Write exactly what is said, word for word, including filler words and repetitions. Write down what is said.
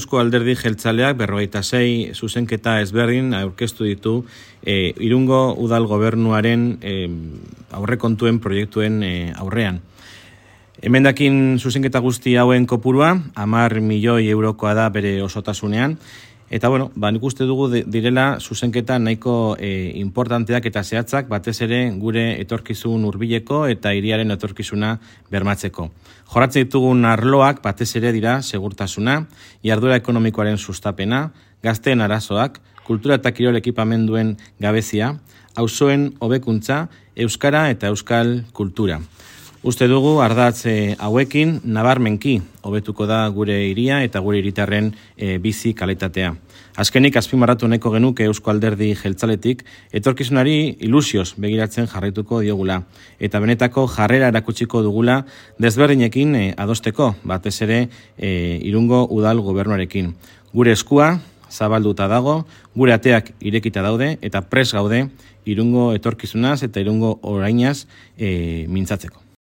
Eusko Alderdi Jeltzaleak berrogeita sei zuzenketa ezberdin aurkeztu ditu e, Irungo Udal Gobernuaren e, aurrekontuen proiektuen e, aurrean. Emendakin zuzenketa guzti hauen kopurua, hamar milioi eurokoa da bere osotasunean, eta bueno, ba, nik uste dugu direla zuzenketa nahiko e, importanteak eta zehatzak, batez ere gure etorkizun hurbileko eta hiriaren etorkizuna bermatzeko. Jorratzen ditugun arloak batez ere dira segurtasuna, jarduera ekonomikoaren sustapena, gazteen arazoak, kultura eta kirol ekipamenduen gabezia, auzoen hobekuntza, euskara eta euskal kultura. Uste dugu ardatz e, hauekin nabarmenki hobetuko da gure hiria eta gure hiritarren e, bizi kalitatea. Azkenik azpimarratu nahiko genuke Eusko Alderdi Jeltzaletik etorkizunari ilusioz begiratzen jarraituko diogula eta benetako jarrera erakutsiko dugula desberdinekin e, adosteko, batez ere e, Irungo Udal Gobernuarekin. Gure eskua zabalduta dago, gure ateak irekita daude eta pres gaude Irungo etorkizunaz eta Irungo orainaz e, mintzatzeko.